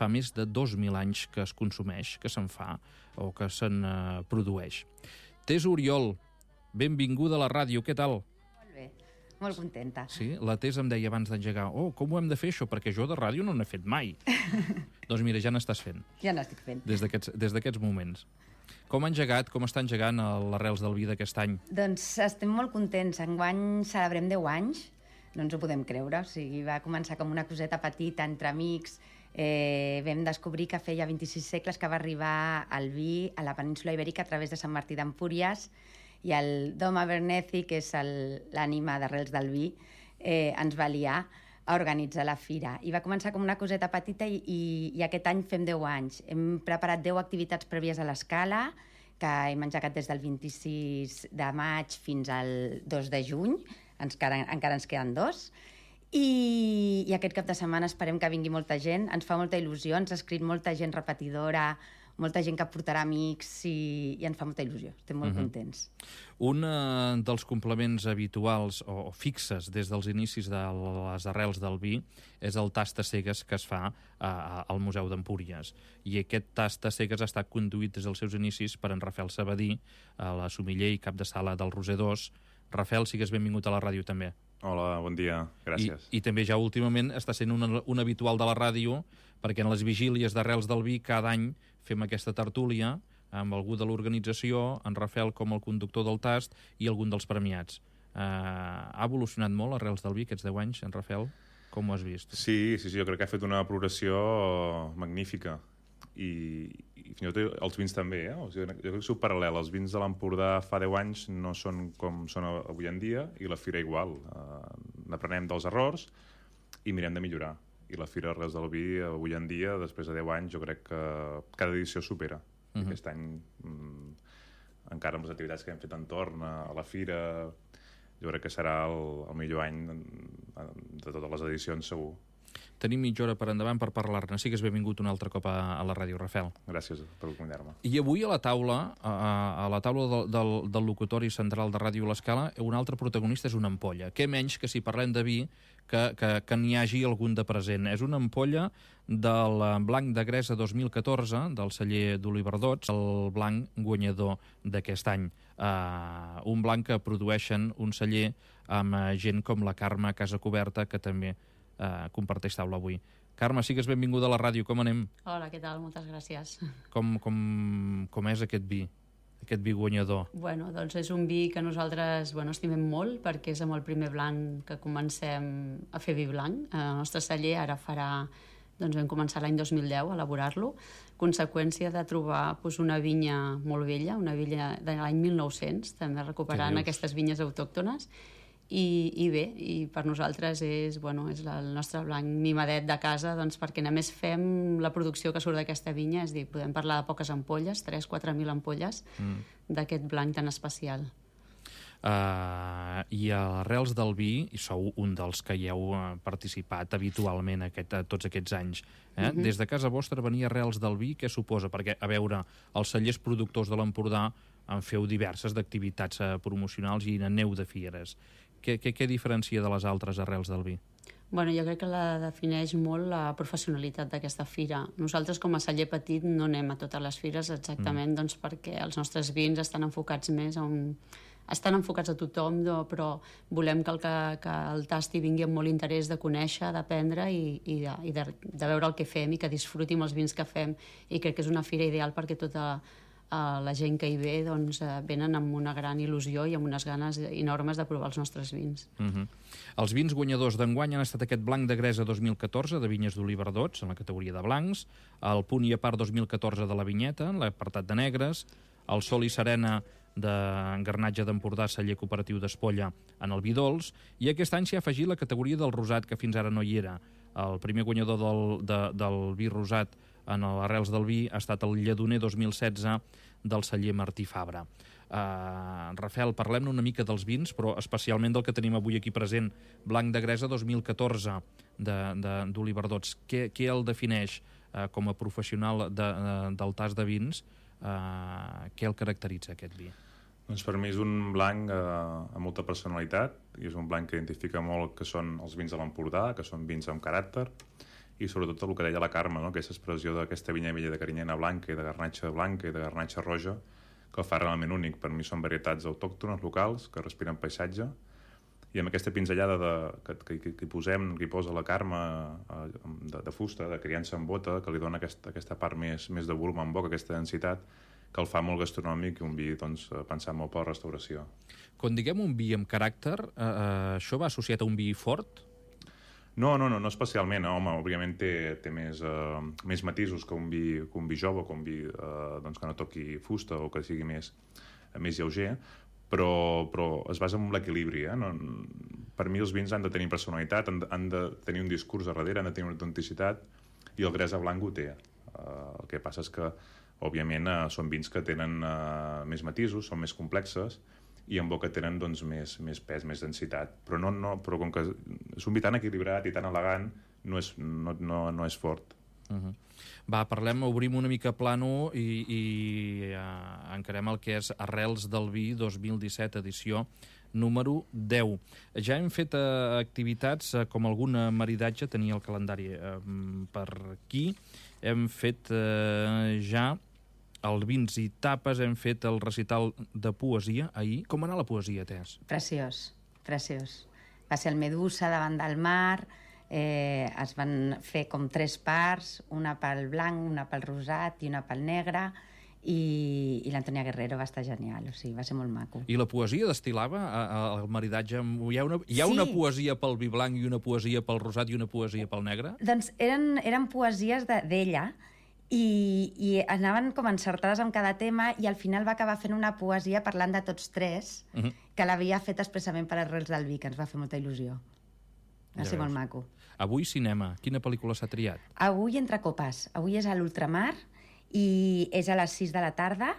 fa més de 2.000 anys que es consumeix, que se'n fa o que se'n produeix. Tess Oriol, benvinguda a la ràdio, què tal? Molt bé, molt contenta. Sí, la Tess em deia abans d'engegar, com ho hem de fer això? Perquè jo de ràdio no n'he fet mai. Doncs mira, ja n'estàs fent. Ja n'estic fent. Des d'aquests moments. Com ha engegat, com està engegant l'Arrels del Vi d'aquest any? Doncs estem molt contents. Enguany celebrem 10 anys, no ens ho podem creure. O sigui, va començar com una coseta petita entre amics. Vam descobrir que feia 26 segles que va arribar el vi a la península Ibèrica a través de Sant Martí d'Empúries, i el Dom Abernethy, que és l'ànima d'Arrels del Vi, ens va liar a organitzar la fira. I va començar com una coseta petita i aquest any fem 10 anys. Hem preparat 10 activitats prèvies a l'escala, que hem engegat des del 26 de maig fins al 2 de juny. Encara ens queden 2. I aquest cap de setmana esperem que vingui molta gent. Ens fa molta il·lusió, ens ha escrit molta gent repetidora, molta gent que portarà amics i ens fa molta il·lusió. Estem molt contents. Un dels complements habituals o fixes des dels inicis de les Arrels del Vi és el tast a cegues que es fa al Museu d'Empúries. I aquest tast a cegues ha estat conduït des dels seus inicis per en Rafael Sabadí, la somiller i cap de sala del Roser 2. Rafael, sigues benvingut a la ràdio també. Hola, bon dia, gràcies. I també ja últimament està sent un habitual de la ràdio, perquè en les vigílies d'Arrels del Vi cada any fem aquesta tertúlia amb algú de l'organització, en Rafael com el conductor del tast i algun dels premiats. Ha evolucionat molt Arrels del Vi aquests 10 anys, en Rafael? Com ho has vist? Sí, jo crec que ha fet una progressió magnífica. I fins i tot els vins també, O sigui, jo crec que és paral·lel. Els vins de l'Empordà fa 10 anys no són com són avui en dia, i la fira igual. N'aprenem dels errors i mirem de millorar. I la fira Arrels del Vi avui en dia, després de 10 anys, jo crec que cada edició supera. Aquest any, encara amb les activitats que hem fet entorn a la fira, jo crec que serà el millor any de totes les edicions, segur. Tenim mitja hora per endavant per parlar-ne. Sigues benvingut un altre cop a la ràdio, Rafael. Gràcies per acompanyar-me. I avui a la taula del locutori central de Ràdio L'Escala, un altre protagonista és una ampolla. Què menys que si parlem de vi que n'hi hagi algun de present. És una ampolla del blanc de Gresa 2014, del celler d'Oliverdots, el blanc guanyador d'aquest any. Un blanc que produeixen un celler amb gent com la Carme Casacoberta, que també comparteix taula avui. Carme, sigues benvinguda a la ràdio, com anem? Hola, què tal? Moltes gràcies. Com és aquest vi guanyador? Bueno, doncs és un vi que nosaltres estimem molt, perquè és amb el primer blanc que comencem a fer vi blanc. El nostre celler ara vam començar l'any 2010 a elaborar-lo, conseqüència de trobar una vinya molt vella, una vinya de l'any 1900, també recuperant aquestes vinyes autòctones. I bé, per nosaltres és el nostre blanc mimadet de casa, perquè només fem la producció que surt d'aquesta vinya, és a dir, podem parlar de poques ampolles, 3-4 mil ampolles d'aquest blanc tan especial. I a Arrels del Vi, i sou un dels que hi heu participat habitualment tots aquests anys, des de casa vostra venir Arrels del Vi, què suposa? Perquè, a veure, els cellers productors de l'Empordà en feu diverses d'activitats promocionals i aneu de fieres. Què diferencia de les altres Arrels del Vi? Jo crec que la defineix molt la professionalitat d'aquesta fira. Nosaltres, com a celler petit, no anem a totes les fires exactament perquè els nostres vins estan enfocats estan enfocats a tothom, però volem que el tasti vingui amb molt interès de conèixer, d'aprendre i de veure el que fem i que disfruti amb els vins que fem. I crec que és una fira ideal perquè tota la gent que hi ve venen amb una gran il·lusió i amb unes ganes enormes de provar els nostres vins. Els vins guanyadors d'enguany han estat aquest blanc de Gresa 2014 de Vinyes d'Oliverdots, en la categoria de blancs, el Punt i a part 2014 de la Vinyeta, en l'apartat de negres, el Sol i Serena d'Engarnatge d'Empordà, celler cooperatiu d'Espolla, en el vi dolç, i aquest any s'hi ha afegit la categoria del rosat, que fins ara no hi era. El primer guanyador del vi rosat en l'Arrels del Vi ha estat el Lledoner 2016 del celler Martí Fabra. Rafael, parlem-ne una mica dels vins, però especialment del que tenim avui aquí present, Blanc de Gresa 2014 d'Oliverdots. Què el defineix com a professional del tast de vins? Què el caracteritza, aquest vi? Doncs per mi és un blanc amb molta personalitat, i és un blanc que identifica molt que són els vins de l'Empordà, que són vins amb caràcter, i sobretot el que deia la Carme, no? Aquesta expressió d'aquesta vinya vella de carinyena blanca i de garnatxa blanca i de garnatxa roja, que el fa realment únic. Per mi són varietats autòctones, locals, que respiren paisatge, i amb aquesta pinzellada que hi posem, que hi posa la Carme de fusta, de criança en bota, que li dona aquesta part més de volum en boca, aquesta densitat, que el fa molt gastronòmic i un vi doncs, pensat molt per la restauració. Quan diguem un vi amb caràcter, això va associat a un vi fort? No especialment. Home, òbviament té més matisos que un vi jove, que un vi doncs, que no toqui fusta o que sigui més lleuger, però es basa en l'equilibri. Per mi els vins han de tenir personalitat, han de tenir un discurs a darrere, han de tenir una autenticitat, i el Gresa Blanc ho té. El que passa és que, òbviament, són vins que tenen més matisos, són més complexes, i en boca tenen doncs, més pes, més densitat. Però com que és un vi tan equilibrat i tan elegant, no és fort. Va, obrim una mica plano i encarem el que és Arrels del vi 2017, edició número 10. Ja hem fet activitats com algun maridatge, tenia el calendari per aquí, hem fet ja el vins i tapes, hem fet el recital de poesia ahir. Com va anar la poesia, Tess? Preciós. Va ser el Medusa davant del mar, es van fer com 3 parts, una pel blanc, una pel rosat i una pel negre, i l'Antònia Guerrero va estar genial, o sigui, va ser molt maco. I la poesia destil·lava el maridatge? Hi ha una poesia pel vi blanc i una poesia pel rosat i una poesia pel negre? Doncs eren poesies d'ella, i anaven com encertades amb cada tema, i al final va acabar fent una poesia parlant de tots 3, que l'havia fet expressament per Arrels del vi, que ens va fer molta il·lusió. Va ser molt maco. Avui cinema. Quina pel·lícula s'ha triat? Avui Entre copes. Avui és a l'Ultramar i és a les 6 de la tarda,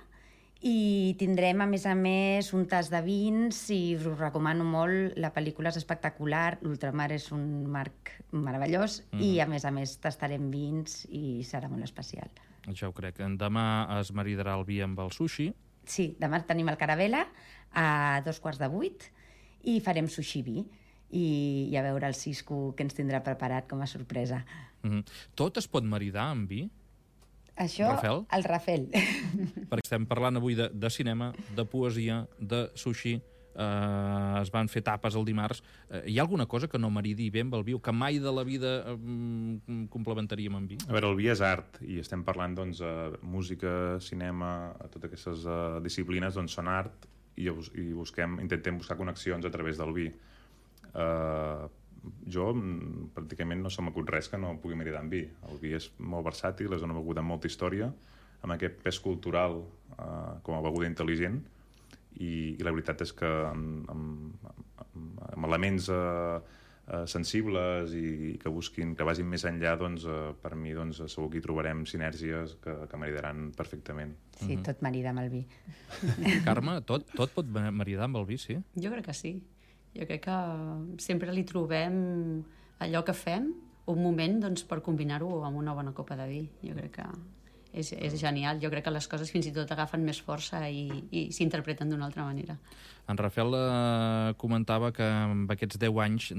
i tindrem, a més, un tas de vins, i us recomano molt. La pel·lícula és espectacular, l'Ultramar és un marc meravellós, i a més tastarem vins i serà molt especial. Ja ho crec. Demà es maridarà el vi amb el sushi. Sí, demà tenim el Caravela a 7:45 i farem sushi vi, i a veure el Cisco que ens tindrà preparat com a sorpresa. Tot es pot maridar amb vi? Això, Rafel? El Rafel. Perquè estem parlant avui de cinema, de poesia, de sushi, es van fer tapes el dimarts. Hi ha alguna cosa que no maridi bé amb el vi o que mai de la vida complementaríem amb vi? A veure, el vi és art, i estem parlant, doncs, música, cinema, totes aquestes disciplines, doncs, són art, i intentem buscar connexions a través del vi. Jo pràcticament no se m'acut res que no pugui maridar amb vi. El vi és molt versàtil, és una beguda amb molta història, amb aquest pes cultural com a beguda intel·ligent, i la veritat és que amb elements sensibles i que vagin més enllà, doncs, per mi segur que hi trobarem sinergies que maridaran perfectament. Sí, tot marida amb el vi. Carme, tot pot maridar amb el vi, sí? Jo crec que sí. Jo crec que sempre li trobem allò que fem, un moment doncs, per combinar-ho amb una bona copa de vi. Jo crec que és genial. Jo crec que les coses fins i tot agafen més força i s'interpreten d'una altra manera. En Rafel comentava que amb aquests 10 anys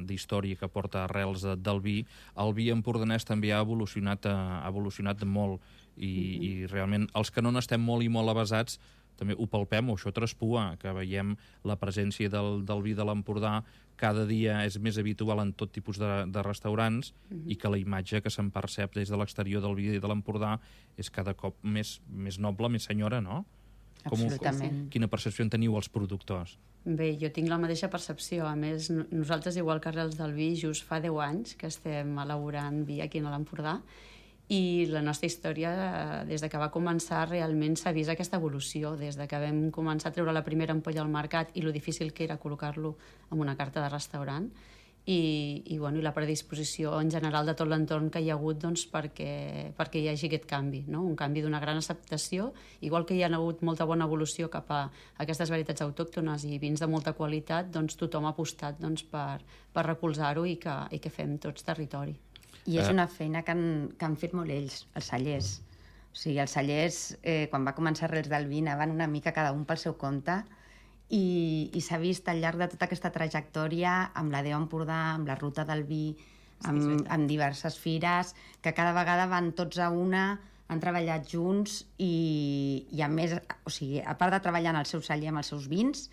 d'història que porta Arrels del vi, el vi empordanès també ha evolucionat molt, i realment els que no n'estem molt i molt avesats també ho palpem, o això traspua, que veiem la presència del vi de l'Empordà cada dia és més habitual en tot tipus de restaurants, i que la imatge que se'n percep des de l'exterior del vi de l'Empordà és cada cop més noble, més senyora, no? Absolutament. Quina percepció en teniu els productors? Bé, jo tinc la mateixa percepció. A més, nosaltres, igual que Arrels del vi, just fa 10 anys que estem elaborant vi aquí a l'Empordà, i la nostra història, des de que va començar, realment s'ha vist aquesta evolució, des de que vam començar a treure la primera ampolla al mercat i lo difícil que era col·locar-lo en una carta de restaurant, i la predisposició en general de tot l'entorn que hi ha hagut doncs, perquè hi hagi aquest canvi, no? Un canvi d'una gran acceptació, igual que hi ha hagut molta bona evolució cap a aquestes varietats autòctones i vins de molta qualitat, doncs tothom ha apostat doncs, per recolzar-ho i que fem tots territori. I és una feina que han fet molt ells, els cellers. O sigui, els cellers, quan va començar Arrels del vi, anaven una mica cada un pel seu compte, i s'ha vist al llarg de tota aquesta trajectòria, amb la Déu Empordà, amb la ruta del vi, amb diverses fires, que cada vegada van tots a una, han treballat junts i a més, o sigui, a part de treballar en el seu celler amb els seus vins,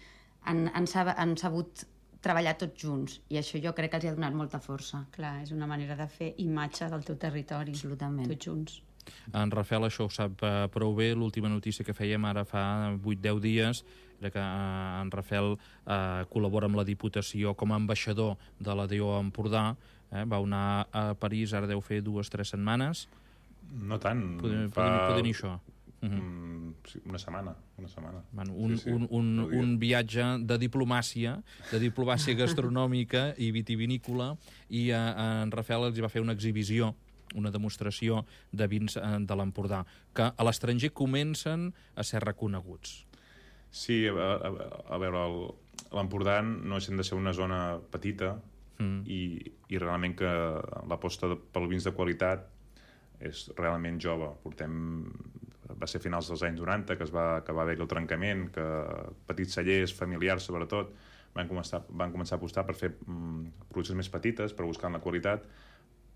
han sabut treballar tots junts, i això jo crec que els ha donat molta força. Clar, és una manera de fer imatge del teu territori. Absolutament. Tots junts. En Rafel això ho sap prou bé. L'última notícia que fèiem ara fa 8-10 dies era que en Rafel col·labora amb la Diputació com a ambaixador de la DO Empordà. Va anar a París, ara deu fer 2-3 setmanes. No tant. Poder dir això. Una setmana. Bueno, un viatge de diplomàcia gastronòmica i vitivinícola, i en Rafel els va fer una exhibició, una demostració de vins de l'Empordà, que a l'estranger comencen a ser reconeguts. Sí, a veure, l'Empordà no deixa de ser una zona petita i realment que l'aposta pel vins de qualitat és realment jove. Va ser a finals dels anys 90 que va haver-hi el trencament, que petits cellers, familiars sobretot, van començar a apostar per fer produccions més petites, per buscar la qualitat,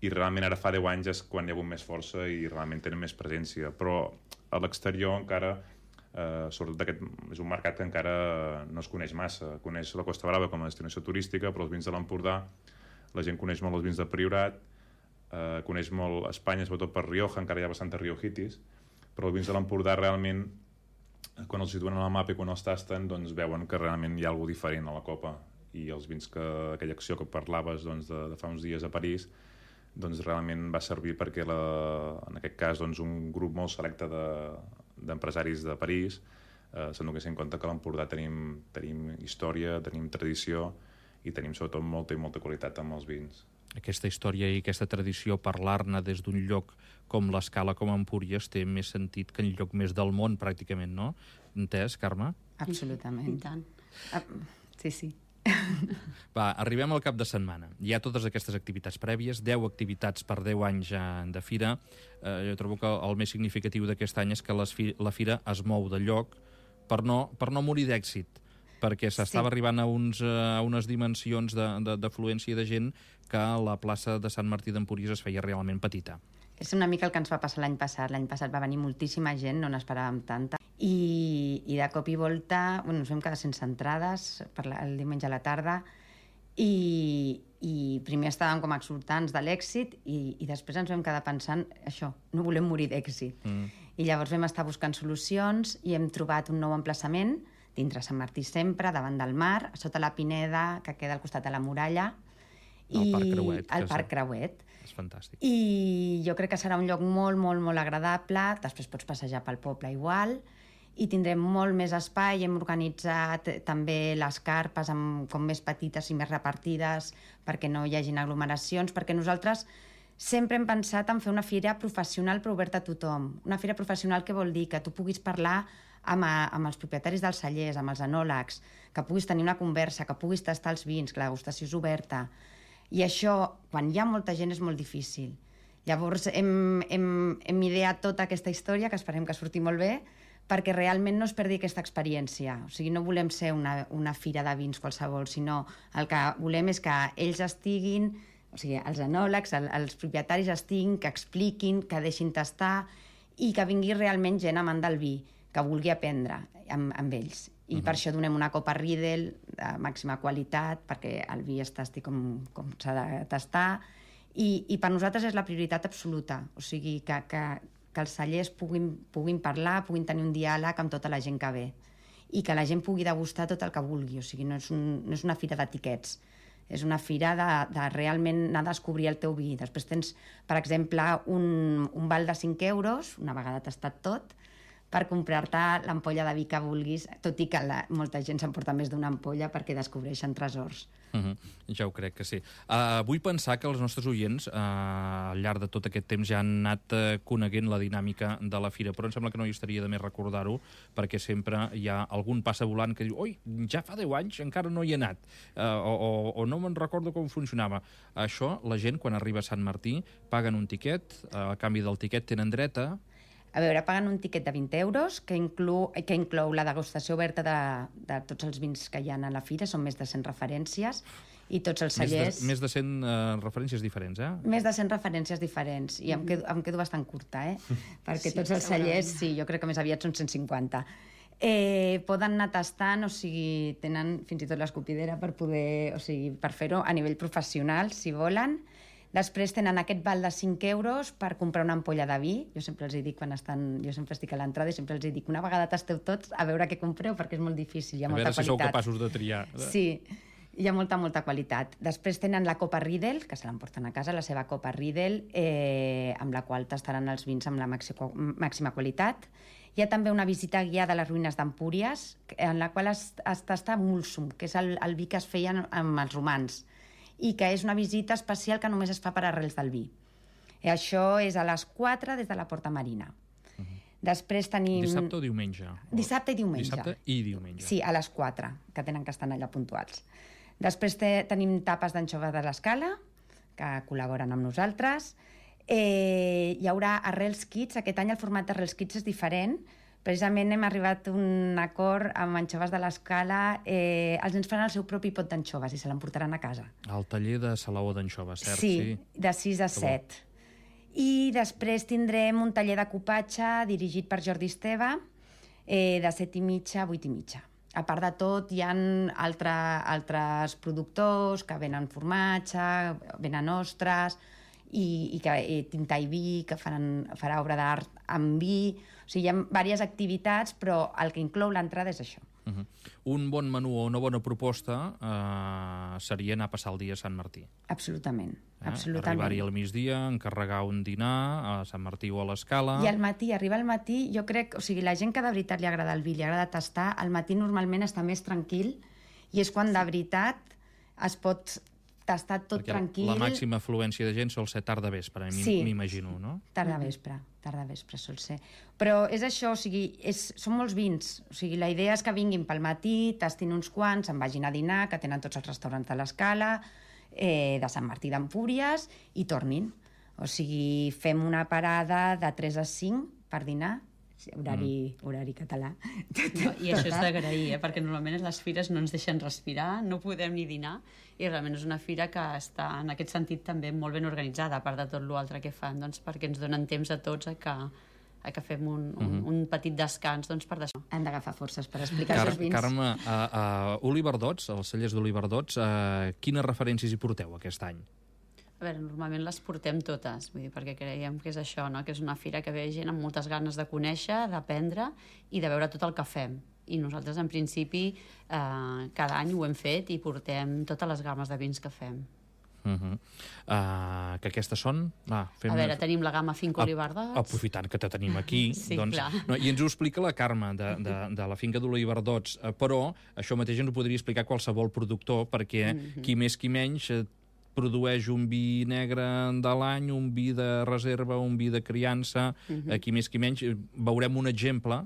i realment ara fa 10 anys és quan hi ha hagut més força i realment tenen més presència. Però a l'exterior encara, sobretot és un mercat que encara no es coneix massa. Coneix la Costa Brava com a destinació turística, però els vins de l'Empordà, la gent coneix molt els vins de Priorat, coneix molt Espanya, sobretot per Rioja, encara hi ha bastanta riojitis, però els vins de l'Empordà realment, quan els situen a la mapa i quan els tasten, doncs veuen que realment hi ha alguna diferent a la copa. I els vins aquella acció que parlaves de fa uns dies a París, doncs realment va servir perquè en aquest cas un grup molt selecte d'empresaris de París s'adonessin en compte que a l'Empordà tenim història, tenim tradició i tenim sobretot molta i molta qualitat amb els vins. Aquesta història i aquesta tradició, parlar-ne des d'un lloc com l'Escala, com Empúries, té més sentit que en lloc més del món, pràcticament, no? Entès, Carme? Absolutament. I tant. Sí. Va, arribem al cap de setmana. Hi ha totes aquestes activitats prèvies, 10 activitats per 10 anys de fira. Jo trobo que el més significatiu d'aquest any és que la fira es mou de lloc per no morir d'èxit, perquè s'estava arribant a unes dimensions d'afluència de gent que la plaça de Sant Martí d'Empúries es feia realment petita. És una mica el que ens va passar l'any passat. L'any passat va venir moltíssima gent, no n'esperàvem tanta. I de cop i volta ens vam quedar sense entrades el diumenge a la tarda i primer estàvem com exultants de l'èxit i després ens vam quedar pensant això, no volem morir d'èxit. I llavors vam estar buscant solucions i hem trobat un nou emplaçament dintre Sant Martí sempre, davant del mar, sota la Pineda, que queda al costat de la muralla. El Parc Creuet. És fantàstic. I jo crec que serà un lloc molt, molt, molt agradable. Després pots passejar pel poble igual. I tindrem molt més espai. Hem organitzat també les carpes com més petites i més repartides perquè no hi hagin aglomeracions, perquè nosaltres sempre hem pensat en fer una fira professional però oberta a tothom. Una fira professional que vol dir que tu puguis parlar amb els propietaris dels cellers, amb els enòlegs, que puguis tenir una conversa, que puguis tastar els vins, que la degustació és oberta. I això, quan hi ha molta gent, és molt difícil. Llavors hem ideat tota aquesta història, que esperem que surti molt bé, perquè realment no es perdi aquesta experiència. O sigui, no volem ser una fira de vins qualsevol, sinó el que volem és que ells estiguin, o sigui, els enòlegs, els propietaris estiguin, que expliquin, que deixin tastar i que vingui realment gent amant del vi, que vulgui aprendre amb ells. I per això donem una copa Riedel de màxima qualitat, perquè el vi es tasti com s'ha de tastar. I per nosaltres és la prioritat absoluta. O sigui, que els cellers puguin parlar, puguin tenir un diàleg amb tota la gent que ve. I que la gent pugui degustar tot el que vulgui. O sigui, no és una fira d'etiquets. És una fira de realment anar a descobrir el teu vi. Després tens, per exemple, un val de 5 euros, una vegada tastat tot, per comprar-te l'ampolla de vi que vulguis, tot i que molta gent s'emporta més d'una ampolla perquè descobreixen tresors. Ja ho crec que sí. Vull pensar que els nostres oients, al llarg de tot aquest temps, ja han anat coneguent la dinàmica de la fira, però em sembla que no hi estaria de més recordar-ho, perquè sempre hi ha algun passavolant que diu «Oi, ja fa 10 anys, encara no hi he anat», o «No me'n recordo com funcionava». Això, la gent, quan arriba a Sant Martí, paguen un tiquet, a canvi del tiquet tenen dret a... A veure, paguen un tiquet de 20 euros que inclou la degustació oberta de tots els vins que hi ha a la fira, són més de 100 referències, i tots els cellers... Més de 100 referències diferents, Més de 100 referències diferents, i em quedo bastant curta, perquè tots els cellers, sí, jo crec que més aviat són 150. Poden anar tastant, o sigui, tenen fins i tot l'escopidera per poder, o sigui, per fer-ho a nivell professional, si volen. Després tenen aquest val de 5 euros per comprar una ampolla de vi. Jo sempre els dic, jo sempre estic a l'entrada i sempre els dic, una vegada tasteu tots a veure què compreu, perquè és molt difícil, hi ha molta qualitat. A veure si sou capaços de triar. Sí, hi ha molta qualitat. Després tenen la copa Riedel, que se l'emporten a casa, la seva copa Riedel, amb la qual tastaran els vins amb la màxima qualitat. Hi ha també una visita guiada a les ruïnes d'Empúries, en la qual es tasta Mulsum, que és el vi que es feien amb els romans, i que és una visita especial que només es fa per arrels del vi. Això és a les 4 des de la Porta Marina. Després tenim... Dissabte o diumenge? Dissabte i diumenge. Dissabte i diumenge. Sí, a les 4, que tenen que estar allà puntuals. Després tenim tapes d'anxova de l'Escala, que col·laboren amb nosaltres. Hi haurà Arrels Kids. Aquest any el format d'Arrels Kids és diferent. Precisament hem arribat a un acord amb anxoves de l'Escala. Els nens faran el seu propi pot d'anxoves i se l'emportaran a casa. Al taller de salaó d'anxoves, cert? Sí, de 6 a 7. I després tindrem un taller de cupatge dirigit per Jordi Esteve, de 7:30 a 8:30. A part de tot, hi ha altres productors que venen formatge, venen ostres, i tinta i vi, que farà obra d'art amb vi. O sigui, hi ha diverses activitats, però el que inclou l'entrada és això. Un bon menú o una bona proposta seria anar a passar el dia a Sant Martí. Absolutament. Arribar-hi al migdia, encarregar un dinar a Sant Martí o a l'Escala... I arribar al matí, jo crec... O sigui, la gent que de veritat li agrada el vi, li agrada tastar, al matí normalment està més tranquil i és quan de veritat es pot tastar tot tranquil. La màxima afluència de gent sol ser tarda vespre, m'imagino, no? Tarda vespre sol ser. Però és això, o sigui, són molts vins. O sigui, la idea és que vinguin pel matí, tastin uns quants, se'n vagin a dinar, que tenen tots els restaurants de l'Escala, de Sant Martí d'Empúries, i tornin. O sigui, fem una parada de 3 a 5 per dinar, horari català. No, i això és d'agrair, perquè normalment a les fires no ens deixen respirar, no podem ni dinar, i realment és una fira que està, en aquest sentit, també molt ben organitzada, a part de tot l'altre que fan, doncs, perquè ens donen temps a tots a que fem un petit descans per d'això. Han d'agafar forces per explicar els vins. Carme, a Oliverdots, als cellers d'Oliverdots, quines referències hi porteu aquest any? A veure, normalment les portem totes, vull dir, perquè creiem que és això, no? Que és una fira que ve gent amb moltes ganes de conèixer, d'aprendre i de veure tot el que fem. I nosaltres, en principi, cada any ho hem fet i portem totes les gammes de vins que fem. Que aquestes són... A veure, tenim la gamma Finca Oliverdots. Aprofitant que te tenim aquí, sí, doncs, i ens ho explica la Carme de la Finca d'Oliverdots, però això mateix ens ho podria explicar qualsevol productor, perquè qui més qui menys produeix un vi negre de l'any, un vi de reserva, un vi de criança, qui més qui menys. Veurem un exemple,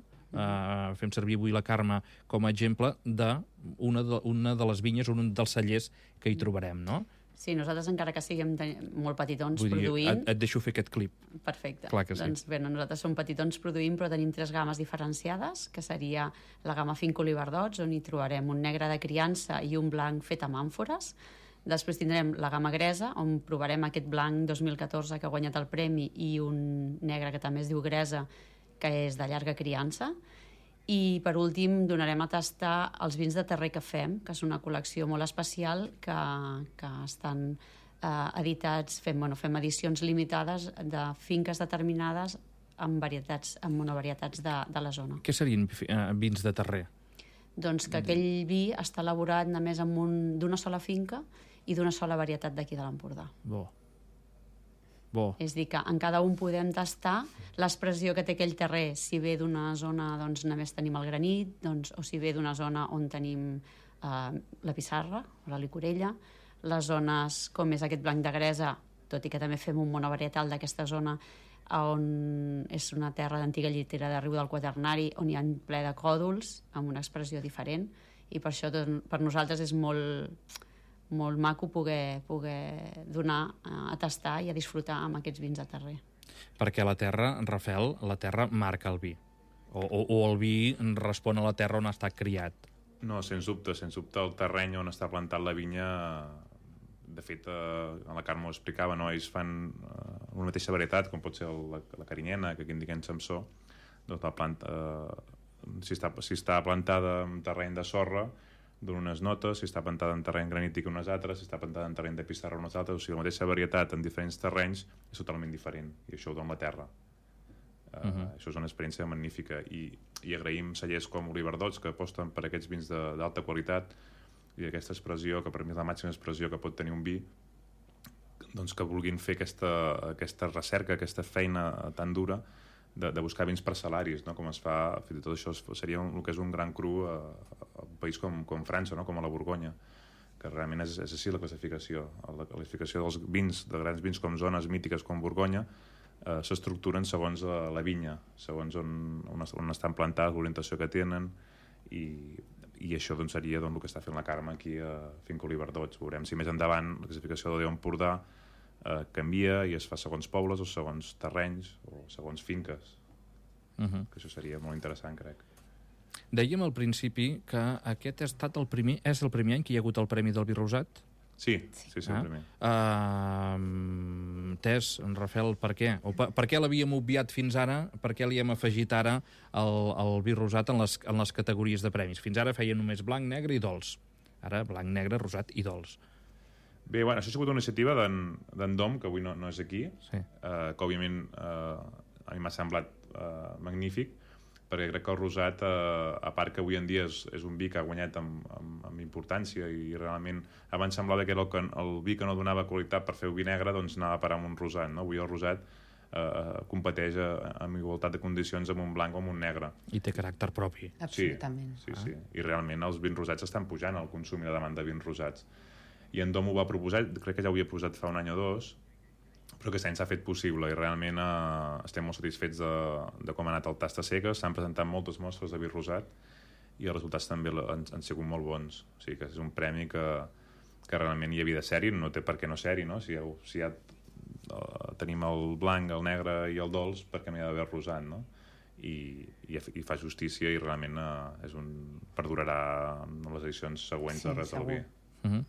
fem servir avui la Carme com a exemple d'una de les vinyes, un dels cellers que hi trobarem, no? Sí, nosaltres encara que siguem molt petitons produint... Et deixo fer aquest clip. Perfecte. Clar que sí. Doncs bé, nosaltres som petitons produint, però tenim 3 gammes diferenciades, que seria la gamma Finca Oliverdots, on hi trobarem un negre de criança i un blanc fet amb àmfores. Després tindrem la gamma Gresa, on provarem aquest blanc 2014 que ha guanyat el premi, i un negre que també es diu Gresa, que és de llarga criança. I, per últim, donarem a tastar els vins de terrer que fem, que és una col·lecció molt especial, que estan editats, fem edicions limitades de finques determinades amb monovarietats de la zona. Què serien vins de terrer? Doncs que aquell vi està elaborat només d'una sola finca i d'una sola varietat d'aquí de l'Empordà. Bo. És a dir, que en cada un podem tastar l'expressió que té aquell terrer. Si ve d'una zona, doncs només tenim el granit, o si ve d'una zona on tenim la pissarra o la licorella, les zones com és aquest blanc de Gresa, tot i que també fem un monovarietal d'aquesta zona, on és una terra d'antiga llitera de Riu del Quaternari, on hi ha ple de còdols, amb una expressió diferent, i per això per nosaltres és molt maco poder donar a tastar i a disfrutar amb aquests vins de terrer. Perquè la terra, Rafel, la terra marca el vi. O el vi respon a la terra on ha estat criat. No, sens dubte, el terreny on està plantat la vinya, de fet, la Carme ho explicava, no? Ells fan una mateixa varietat, com pot ser la carinyena, que aquí indiquem Samsó, doncs la planta, si està plantada en terreny de sorra, dona unes notes, si està plantada en terreny granític unes altres, si està plantada en terreny de pissarra unes altres, o sigui, la mateixa varietat en diferents terrenys és totalment diferent, i això ho dona la terra. Això és una experiència magnífica, i agraïm cellers com Oliverdots, que aposten per aquests vins d'alta qualitat, i aquesta expressió, que per mi és la màxima expressió que pot tenir un vi, doncs que vulguin fer aquesta recerca, aquesta feina tan dura, de buscar vins parcel·laris, no? Com es fa, fins i tot això seria el que és un gran cru a un país com França, no? Com a la Borgonya, que realment és així la classificació. La classificació dels vins, de grans vins com zones mítiques com Borgonya, s'estructuren segons la vinya, segons on estan plantats, l'orientació que tenen, i això doncs, seria el que està fent la Carme aquí a Finca Oliverdots. Veurem si més endavant la classificació de l'Empordà canvia i es fa segons pobles o segons terrenys o segons finques, que això seria molt interessant, crec. Dèiem al principi que aquest és el primer any que hi ha hagut el Premi del Vi Rosat? Sí, el primer. Tess, Rafel, per què? Per què l'havíem obviat fins ara? Per què li hem afegit ara el Vi Rosat en les categories de premis? Fins ara feia només blanc, negre i dolç. Ara blanc, negre, rosat i dolç. Bé, bueno, això ha sigut una iniciativa d'en Dom, que avui no és aquí, sí. Que òbviament a mi m'ha semblat magnífic, perquè crec que el rosat, a part que avui en dia és un vi que ha guanyat amb importància, i realment abans semblava que era el vi que no donava qualitat per fer el vi negre, doncs anava a parar amb un rosat, no? Avui el rosat competeix amb igualtat de condicions amb un blanc o amb un negre. I té caràcter propi. Absolutament. Sí. I realment els vins rosats estan pujant, el consum i la demanda de vins rosats. I en Dom ho va proposar, crec que ja ho havia posat fa un any o dos, però aquest any s'ha fet possible, i realment estem molt satisfets de com ha anat el tast a cegues. S'han presentat moltes mostres de vi rosat i els resultats també han sigut molt bons. O sigui que és un premi que realment hi havia de ser-hi, no té per què no ser-hi, no? Si ja tenim el blanc, el negre i el dolç, per què no hi ha d'haver el rosat, no? I fa justícia, i realment perdurarà en les edicions següents de Res del Vi.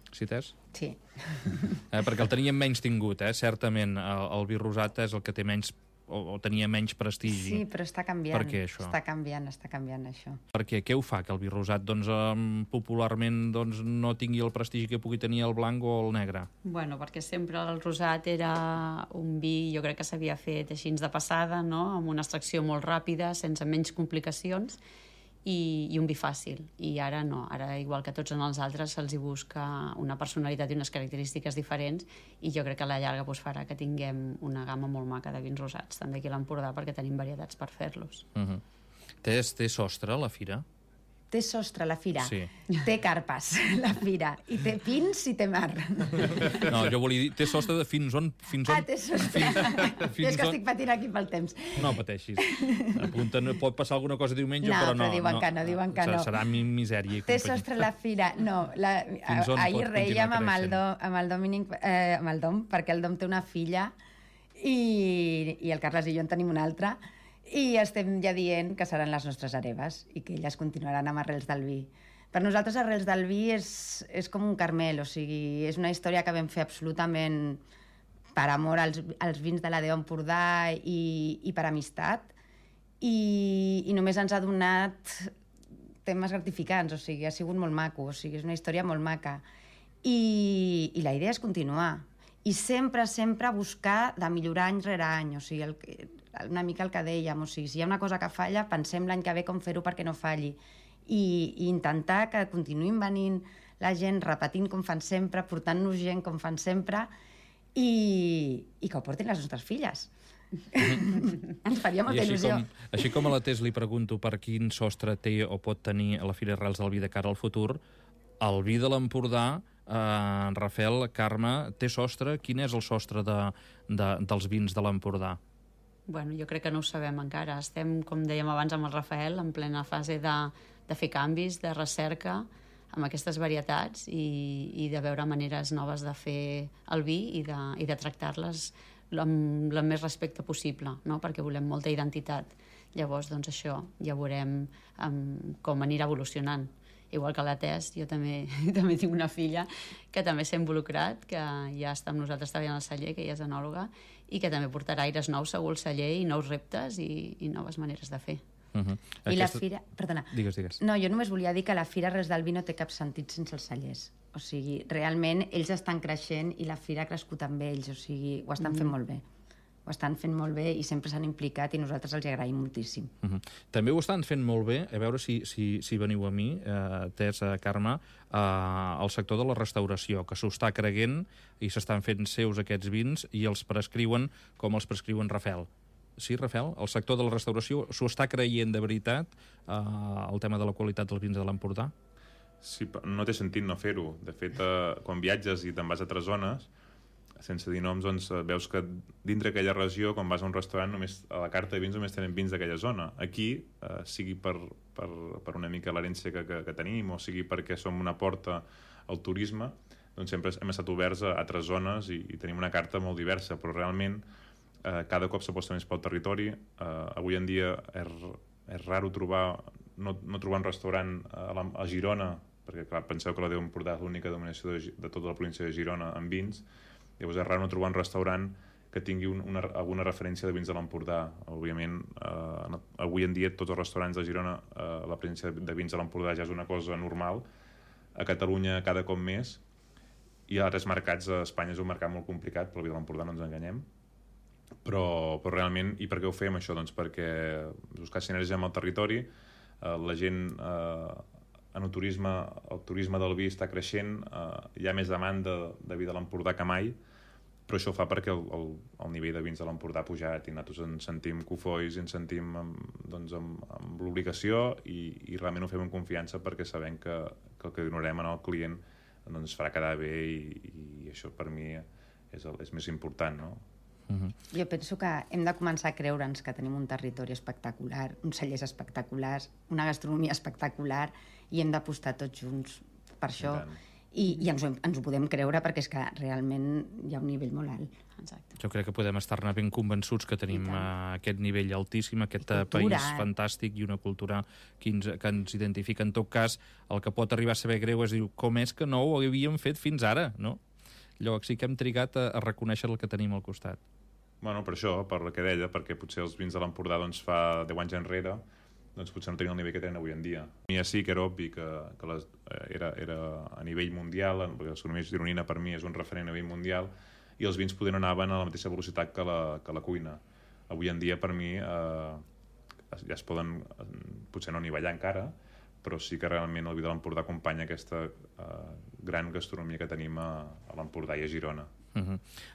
Sí, Tess? Sí. Perquè el teníem menys tingut, certament. El vi rosat és el que té menys, o tenia menys prestigi. Sí, però està canviant. Per què, això? Està canviant, això. Perquè què ho fa, que el vi rosat popularment no tingui el prestigi que pugui tenir el blanc o el negre? Bueno, perquè sempre el rosat era un vi, jo crec que s'havia fet així de passada, no? Amb una extracció molt ràpida, sense menys complicacions, i un vi fàcil. I ara no, ara igual que tots els altres se'ls hi busca una personalitat i unes característiques diferents, i jo crec que a la llarga farà que tinguem una gamma molt maca de vins rosats, també aquí a l'Empordà, perquè tenim varietats per fer-los. Té sostre la fira? Té sostre la fira, sí. Té carpes la fira, i té pins i té mar. No, jo volia dir, té sostre de fins on... Té sostre. Jo és que estic patint aquí pel temps. No pateixis. Pot passar alguna cosa diumenge, però no. Però diuen que no. Serà misèria. Té sostre la fira. No, ahir reiem amb el Dominic, amb el Dom, perquè el Dom té una filla i el Carles i jo en tenim una altra, i estem ja dient que seran les nostres hereves i que elles continuaran amb Arrels del Vi. Per nosaltres Arrels del Vi és com un Carmel, o sigui, és una història que vam fer absolutament per amor als vins de la Déu Empordà i per amistat, i només ens ha donat temes gratificants, o sigui, ha sigut molt maco, o sigui, és una història molt maca. I la idea és continuar, i sempre buscar de millorar any rere any, o sigui, una mica el que dèiem, o sigui, si hi ha una cosa que falla, pensem l'any que ve com fer-ho perquè no falli, i intentar que continuïn venint la gent, repetint com fan sempre, portant-nos gent com fan sempre, i que ho portin les nostres filles. Ens faria molta il·lusió. Així com a la Tess li pregunto per quin sostre té o pot tenir la Fira Arrels del Vi de cara al futur, el vi de l'Empordà, Rafel, Carme, té sostre? Quin és el sostre dels vins de l'Empordà? Bueno, jo crec que no ho sabem encara. Estem, com dèiem abans amb el Rafael, en plena fase de fer canvis, de recerca amb aquestes varietats i de veure maneres noves de fer el vi i de tractar-les amb el més respecte possible, no? Perquè volem molta identitat. Llavors, doncs això, ja veurem com anirà evolucionant. Igual que la Tess, jo també tinc una filla que també s'ha involucrat, que ja està amb nosaltres treballant al celler, que ella és enòloga, i que també portarà aires nous segur al celler i nous reptes i noves maneres de fer. I la fira... Perdona. Digues. No, jo només volia dir que la Fira Arrels del Vi no té cap sentit sense els cellers. O sigui, realment, ells estan creixent i la fira ha crescut amb ells. O sigui, ho estan fent molt bé. Ho estan fent molt bé i sempre s'han implicat i nosaltres els agraïm moltíssim. També ho estan fent molt bé, a veure si veniu a mi, Tess, Carme, al sector de la restauració, que s'ho està creguent i s'estan fent seus aquests vins i els prescriuen com els prescriuen Rafel. Sí, Rafel? El sector de la restauració s'ho està creient de veritat, el tema de la qualitat dels vins de l'Empordà? Sí, no té sentit no fer-ho. De fet, quan viatges i te'n vas a altres zones, sense dir noms, doncs veus que dintre aquella regió, quan vas a un restaurant, només a la carta de vins només tenen vins d'aquella zona. Aquí, sigui per una mica l'herència que tenim, o sigui perquè som una porta al turisme, doncs sempre hem estat oberts a altres zones i tenim una carta molt diversa, però realment cada cop s'aposta més pel territori. Avui en dia és raro no trobar un restaurant a Girona, perquè clar, penseu que la Déu Empordà és l'única denominació de tota la província de Girona en vins. Llavors és raro no trobar un restaurant que tingui alguna referència de vins de l'Empordà. Òbviament, avui en dia tots els restaurants de Girona la presència de vins de l'Empordà ja és una cosa normal. A Catalunya cada cop més, i a altres mercats. A Espanya és un mercat molt complicat, però el vi de l'Empordà no ens enganyem. Però realment, i per què ho fem això? Doncs perquè buscar sinergia amb el territori, la gent en el turisme del vi està creixent, hi ha més demanda de vi de l'Empordà que mai, però això fa perquè el nivell de vins de l'Empordà ha pujat i nosaltres ens sentim cofois i ens sentim amb l'obligació i realment ho fem amb confiança perquè sabem que el que donem al client doncs farà quedar bé i això per mi és més important, no? Jo penso que hem de començar a creure'ns que tenim un territori espectacular, uns cellers espectaculars, una gastronomia espectacular i hem d'apostar tots junts per això i ens ho podem creure perquè és que realment hi ha un nivell molt alt. Exacte. Jo crec que podem estar-ne ben convençuts que tenim aquest nivell altíssim, aquest país fantàstic i una cultura que ens identifica. En tot cas, el que pot arribar a saber greu és dir com és que no ho havíem fet fins ara, no? Llavors sí que hem trigat a reconèixer el que tenim al costat. Bueno, per això, per el que deia, perquè potser els vins de l'Empordà doncs, fa 10 anys enrere doncs potser no tenien el nivell que tenen avui en dia. I sí que era obvi que era a nivell mundial, perquè la gastronomia gironina per mi és un referent a nivell mundial, i els vins poder no anaven a la mateixa velocitat que la cuina. Avui en dia per mi ja es poden, potser no nivellar encara, però sí que realment el vi de l'Empordà acompanya aquesta gran gastronomia que tenim a l'Empordà i a Girona.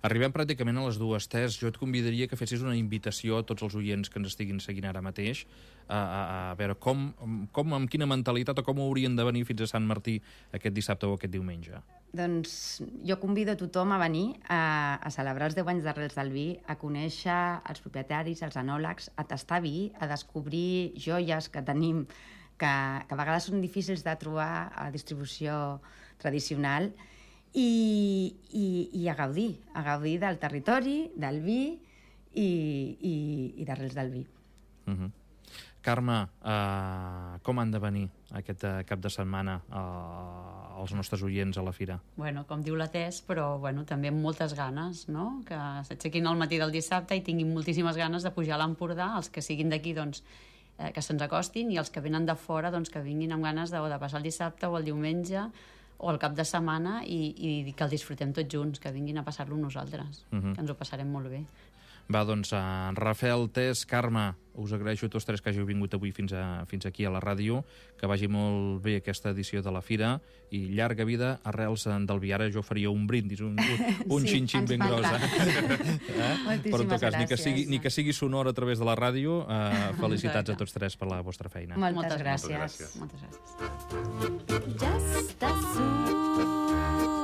Arribem pràcticament a les dues, Tess. Jo et convidaria que fessis una invitació a tots els oients que ens estiguin seguint ara mateix a veure amb quina mentalitat o com haurien de venir fins a Sant Martí aquest dissabte o aquest diumenge. Doncs jo convido a tothom a venir a celebrar els 10 anys d'Arrels del Vi, a conèixer els propietaris, els enòlegs, a tastar vi, a descobrir joies que tenim que a vegades són difícils de trobar a la distribució tradicional i a gaudir del territori, del vi i d'Arrels del Vi. Carme, com han de venir aquest cap de setmana els nostres oients a la fira? Bueno, com diu la Tess, però també amb moltes ganes, no? Que s'aixequin al matí del dissabte i tinguin moltíssimes ganes de pujar a l'Empordà, els que siguin d'aquí, doncs, que se'ns acostin, i els que venen de fora, doncs, que vinguin amb ganes de passar el dissabte o el diumenge o el cap de setmana i que el disfrutem tots junts, que vinguin a passar-lo nosaltres, que ens ho passarem molt bé. Va, doncs, Rafel, Tess, Carme, us agraeixo a tots tres que hàgiu vingut avui fins aquí a la ràdio, que vagi molt bé aquesta edició de la fira i llarga vida Arrels del Vi. Ara jo faria un brindis, un xin-xin ben gros. Però en tot cas, ni que sigui sonor a través de la ràdio, felicitats a tots tres per la vostra feina. Moltes gràcies. Moltes gràcies. Ja està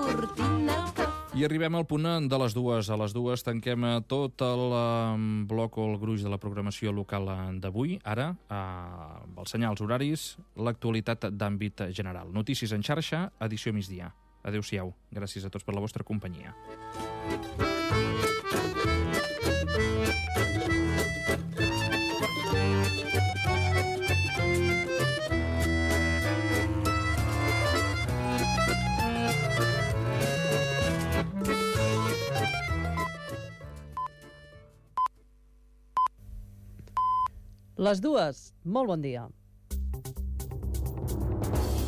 sortint el cafè. I arribem al punt de les dues. A les dues tanquem tot el bloc o el gruix de la programació local d'avui. Ara, els senyals horaris, l'actualitat d'àmbit general. Notícies en xarxa, edició migdia. Adéu-siau. Gràcies a tots per la vostra companyia. Les dues, molt bon dia.